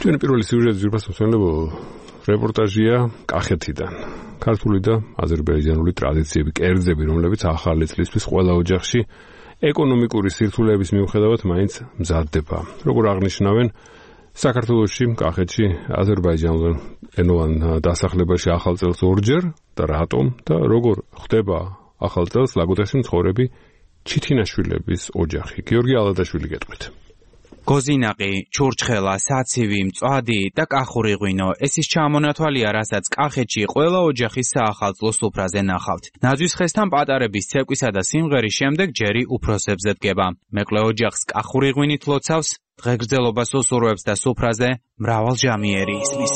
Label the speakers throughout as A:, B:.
A: ჩვენი პირველი სიუჟეტი ძირფასმოსმენელო რეპორტაჟია კახეთიდან. ქართული და აზერბაიჯანული ტრადიციები, კერძები, რომლებიც ახალი წლისთვის ყველა ოჯახში ეკონომიკური სირთულეების მიუხედავად მაინც მზადდება. როგორ აღნიშნავენ, საქართველოში, კახეთში, აზერბაიჯანულ ენოვან დასახლებაში ახალ წელს ორჯერ და რატომ და როგორ ხდება ახალ წელს ლაგოდეხში მცხოვრები ჩითინაშვილების ოჯახი. გიორგი ალადაშვილი გეტყვით.
B: გოზინაყი, ჩურჩხელა, საცივი, მწვადი და კახური ღვინო. ეს ის ჩამონათვალია, რასაც კახეთში ყველა ოჯახის საახალწლო სუფრაზე ნახავთ. ნაძვის ხესთან პატარების ცეკვისა და სიმღერის შემდეგ ჯერი უფროსებზე დგება. მეკლე ოჯახს კახური ღვინით ლოცავს, დღეგრძელობას უსურვებს და სუფრაზე მრავალჟამიერი ისმის.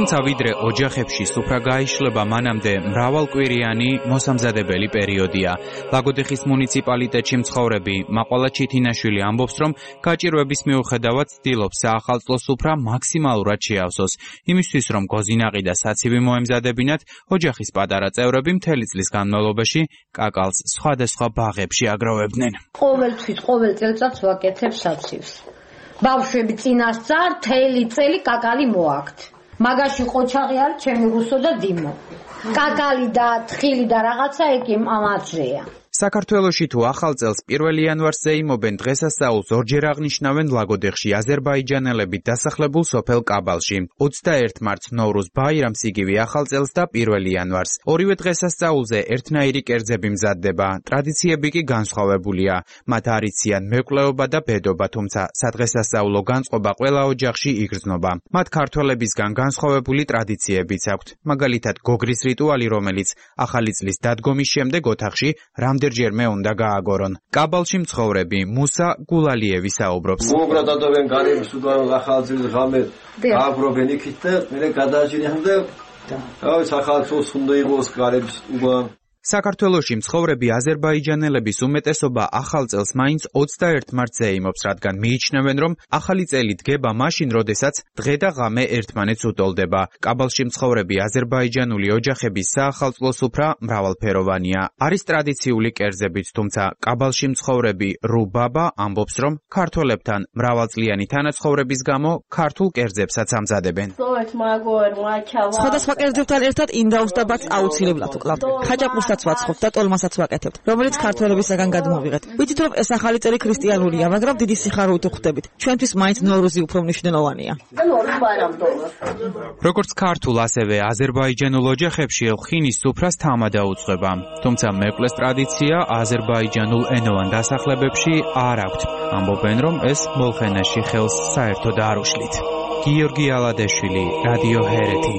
B: თუმცა ვიდრე ოჯახებში სუფრა გაიშლება, მანამდე მრავალკვირიანი მოსამზადებელი პერიოდია. ლაგოდეხის მუნიციპალიტეტში მცხოვრები მაყვალა ჩითინაშვილი ამბობს, რომ გაჭირვების მიუხედავად ცდილობს საახალწლო სუფრა მაქსიმალურად შეავსოს. იმისთვის, რომ გოზინაყი და საცივი მოემზადებინათ, ოჯახის პატარა წევრები მთელი წლის განმავლობაში კაკალს სხვადასხვა ბაღებში აგროვებდნენ.
C: ყოველ წელიწადს ვაკეთებ საცივს. ბავშვები წინასწარ მთელი წელი კაკალი მოაქვთ. მაგაში ყოჩაღი არის ჩემი რუსო და დიმო. კაკალი და თხილი და რაღაცა ეგ ამაძეა.
B: საქართველოში თუ ახალ წელს 1 იანვარს ზეიმობენ, დღესასწაულს ორჯერ აღნიშნავენ ლაგოდეხში აზერბაიჯანელები დასახლებულ სოფელ კაბალში. 21 მარტს ნოვრუზ ბაირამს იგივე ახალ წელს და 1 იანვარს. ორივე დღესასწაულზე ერთნაირი კერძები მზადდება. ტრადიციები კი განსხვავებულია. მათ არიციან მეკვლეობა და ბედობა, თუმცა სადღესასწაულო განწყობა ყველა ოჯახში იგრძნობა. მათ ქართველებისგან განსხვავებული ტრადიციებიც აქვთ. მაგალითად, გოგრის რიტუალი, რომელიც ახალი წლის დადგომის შემდეგ ოთახში ჯერმე უნდა გააგორონ. კაბალში მცხოვრები მუსა გულალიევი საუბრობს.
D: მოგრადადობენ გარემოს უგანო ახალ წლის ღამე გააგრობენ იქით და მე გადააჭინიან და ახალ წელს უნდა იყოს გარემოს უგან.
B: საქართველოში მცხოვრები აზერბაიჯანელების უმეტესობა ახალ წელს მაინც 21 მარტს ზეიმობს, რადგან მიიჩნევენ, რომ ახალი წელი დგება მაშინ, როდესაც დღე და ღამე ერთმანეთს უტოლდება. კაბალში მცხოვრები აზერბაიჯანული ოჯახების საახალწლო სუფრა მრავალფეროვანია. არის ტრადიციული კერძებიც, თუმცა კაბალში მცხოვრები რუბაბა ამბობს, რომ ქართველებთან მრავალწლიანი თანაცხოვრების გამო ქართულ კერძებსაც ამზადებენ.
E: სხვადასხვა კერძებთან ერთად ინდაუს და ბათს აუცილებლად ვკლავთ. ხაჭაპურსაც ვაცხობთ და ტოლმასაც ვაკეთებთ, რომელიც ქართველებისაგან გადმოვიღეთ. ვიცით, რომ ეს ახალი წელი ქრისტიანულია, მაგრამ დიდი სიხარულით ვხვდებით. ჩვენთვის მაინც ნოვრუზი უფრო მნიშვნელოვანია.
B: როგორც ქართულ, ასევე აზერბაიჯანულ ოჯახებში ღვინის სუფრას თამა დაუძღვება. თუმცა მეკლეს ტრადიცია აზერბაიჯანულ ენოვან დასახლებებში არ აქვთ. ამბობენ, რომ ეს მოლხენაში ხელს საერთოდ არ უშლით. გიორგი ალადაშვილი, რადიო ჰერეთი.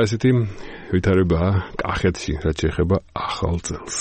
A: ესეთი ვითარებაა კახეთში, რაც შეეხება ახალ წელს.